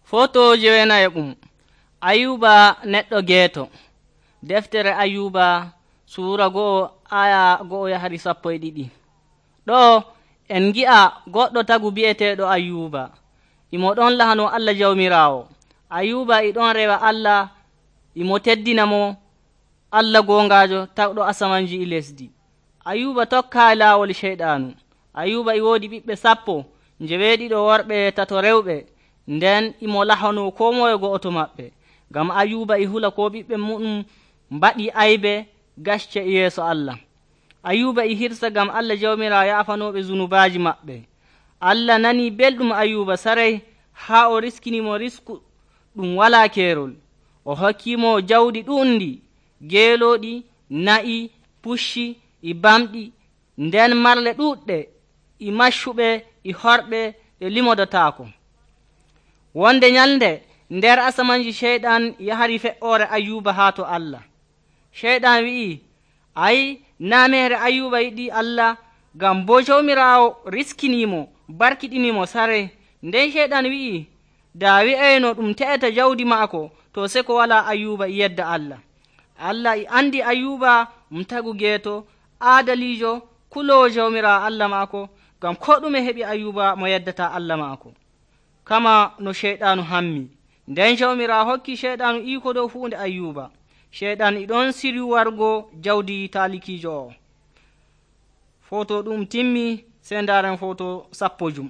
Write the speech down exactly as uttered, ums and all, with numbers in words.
Foto jewenayeɓum Ayuba neɗɗo geeto. Deftere Ayuba suura go'o aya go'o yahari sappo e ɗiɗi. Ɗo en gi'a goɗɗo tagu bi'eteeɗo Ayuba. Imo ɗon lahano Allah jawmiraawo. Ayuba e ɗon rewa Allah, imo teddina mo Allah goongaajo tawɗo asamanji e lesdi. Ayuba tokkaayi laawol ceyɗaanu. Ayuba e woodi ɓiɓɓe sappo, njeweeɗiɗo worɓe tato rewɓe. Nden imo lahano koo moye go'oto maɓɓe. Ngam Ayuba e hula ko ɓiɓɓe muɗum mbaɗi aybe gacce e yeeso Allah. Ayuba e hirsa ngam Allah jawmiraawo yaafanooɓe zunubaaji maɓɓe. Allah nanii belɗum Ayuba saray haa o riskinimo risku ɗum walaa keerol. O hokkiimo jawdi ɗuuɗndi, geelooɗi, na'i, pucci e bamɗi, nden marle ɗuuɗɗe e maccuɓe e horɓe e limodotaako. Wonde nyalnde nder asamanji ceyɗan yahari fe'oore Ayuba haa to Allah. Ceyɗan wi'i, ayi, naa meere Ayuba yiɗi Allah, ngam boo jawmiraawo riskiniimo barkiɗinimo saray. Nden ceyɗan wi'i, daa wi'ayno ɗum te'eta jawdi maako, to seko walaa Ayuba e yedda Allah. Allah e andi Ayuba um tagu geeto, aadaliijo, kuloowo jawmiraawo Allah maako, ngam koo ɗume heɓi Ayuba mo yeddataa Allah maako, kama no ceyɗaanu hammi. Nden jawmiraawo hokki ceyɗaanu iiko dow huunde Ayuba. Ceyɗan e ɗon siryu wargo jawdi taalikiijo o. Foto ɗum timmi, sey ndaaren foto sappo jum.